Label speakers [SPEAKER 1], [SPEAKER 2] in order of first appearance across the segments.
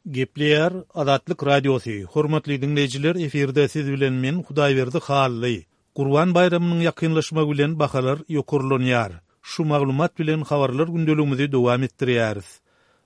[SPEAKER 1] Gepleýär Azatlyk Radiosy, Hormatly diňleýjiler efirde siz bilen men Hudaýberdi Hally. Gurban baýramynyň ýakynlaşmagy bilen bahalar ýokarlanýar. Şu maglumat bilen habarlar gündeligimizi dowam etdirýäris.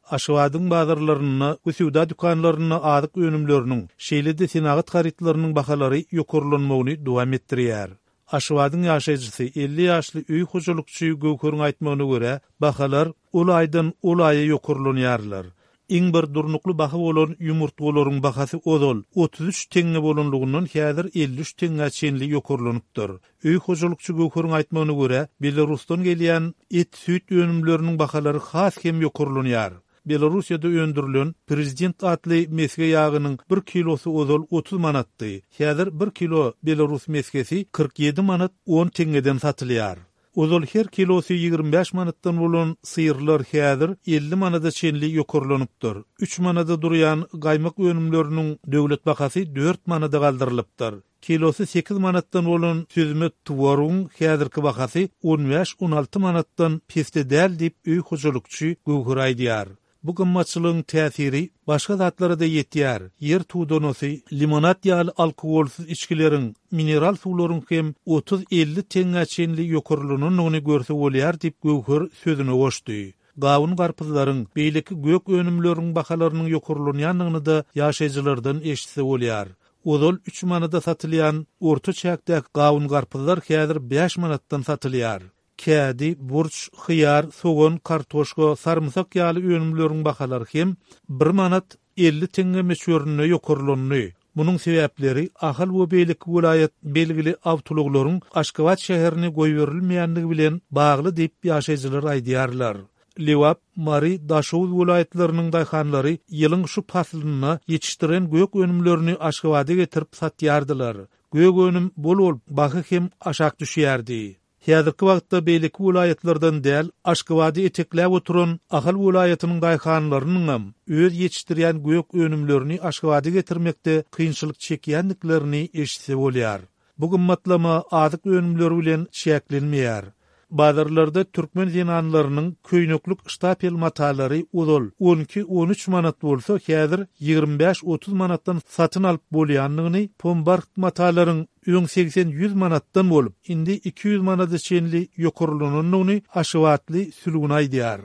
[SPEAKER 1] Aşgabadyň bazarlarynda we söwda dükanlarynda azyk önümleriniň, şeýle-de senagat harytlarynyň bahalary ýokarlanmagyny dowam etdirýär. Aşgabadyň ýaşaýjysy, 50 ýaşly öý hojalykçy Göwheriň aýtmagyna görä, bahalar ol aýdan ol aýa ýokarlanýarlar. Iň bir durnukly baha bolan ýumurtgalaryň bahasy ozal 33 teňňe bolanlygyndan häzir 53 teňňä çenli ýokarlanypdyr. Öý hojalykçy Göwheriň aýtmagyna görä, Belarusdan gelýän et-süýt önümleriniň bahalary has hem ýokarlanýar. Belarussiýada öndürilen Prezident atly mesge ýagynyň bir kilosy ozal 30 manatdy. Häzir bir kilo belarus mesgesi 47 manat on teňňeden satylýar. Ozal her kilosy 25 manatdan bolan syrlar häzir 50 manada çenli ýokarlanypdyr. Üç manada durýan gaýmak önümleriniň döwlet bahasy dört manada galdyrylypdyr. Kilosy sekiz manatdan bolan süzme twarogyň häzirki bahasy on bäş-on alty manatdan pesde däl diýip, öý hojalykçy Göwher aýdýar. Bu gymmatçylygyň täsiri başga zatlara-da ýetýär, ýer tudanasy, limonad ýaly alkogolsyz içgileriň, mineral suwlaryň hem otuz-elli teňňä çenli ýokarlanandygyny görse bolýar diýip, Göwher sözüne goşdy. Gawun-garpyzlaryň, beýleki gök önümleriň bahalarynyň ýokarlanýandygyny-da ýaşaýjylardan eşitse bolýar. Ozal üç manada satylýan orta çäkdäki gawun-garpyzlar häzir bäş manatdan satylýar. Kädi, burç, hyýar, sogan, kartoşka, sarymsak ýaly önümleriň bahalary hem bir manat 50 teňňe möçberinde ýokarlandy. Munuň sebäpleri Ahal we beýleki welaýat belgili awtoulaglaryň Aşgabat şäherine goýberilmeýändigi bilen bagly diýip, ýaşaýjylar aýdýarlar. Lebap, Mary, Daşoguz welaýatlarynyň daýhanlary ýylyň şu paslynda ýetişdiren gök önümlerini Aşgabada getirip satýardylar. Gök önüm bol bolup, baha hem aşak düşýärdi. Häzirki wagtda beýleki welaýatlardan däl, Aşgabady etekläp oturan Ahal welaýatynyň daýhanlarynyňam öz ýetişdirýän gök önümlerini Aşgabada getirmekde kynçylyk çekýändiklerini eşitse bolýar. Bu gymmatlama azyk önümleri bilen çäklenmeýär. Bazarlarda türkmen zenanlarynyň köýneklik ştapel matalary ozal on iki-on üç manat bolsa, häzir 25-30 manatdan satyn alyp bolýandygyny, pombarht matalaryň öň segsen-ýüz manatdan bolup, indi 200 manada çenli ýokarlanandygyny aşgabatly Sülgün aýdýar.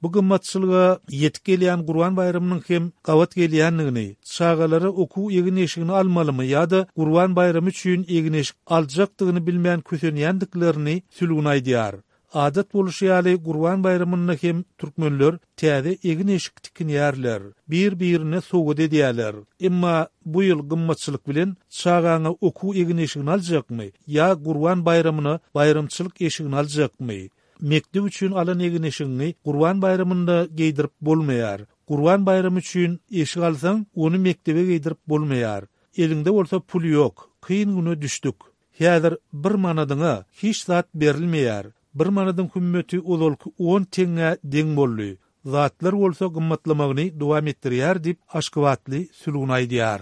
[SPEAKER 1] Bu gymmatçylyga ýetip gelýän Gurban baýramynyň hem gabat gelýändigini, çagalara okuw egin-eşigini almalymy ýa-da Gurban baýramy üçin egin-eşik aljakdygyny bilmän kösenýändiklerini Sülgün aýdýar. Adat boluşy ýaly Gurban baýramynda hem türkmenler täze egin-eşik tikinýärler, bir-birine sowgat edýärler. Emma bu ýyl gymmatçylyk bilen çagaňa okuw egin-eşigini aljakmy ýa Gurban baýramyna baýramçylyk eşigini aljakmy? Mekdep üçin alan egin-eşigiňi Gurban baýramynda geýdirip bolmaýar. Gurban baýramy üçin eşik alsaň, ony mekdebe geýdirip bolmaýar. Eliňde bolsa pul ýok. Kyn güne düşdük. Häzir bir manadyňa hiç zat berilmeýär. Bir manadyň hümmeti ozalky on teňňä deň boldy. Zatlar bolsa gymmatlamagyny dowam etdirýär diýip, aşgabatly Sülgün aýdýar.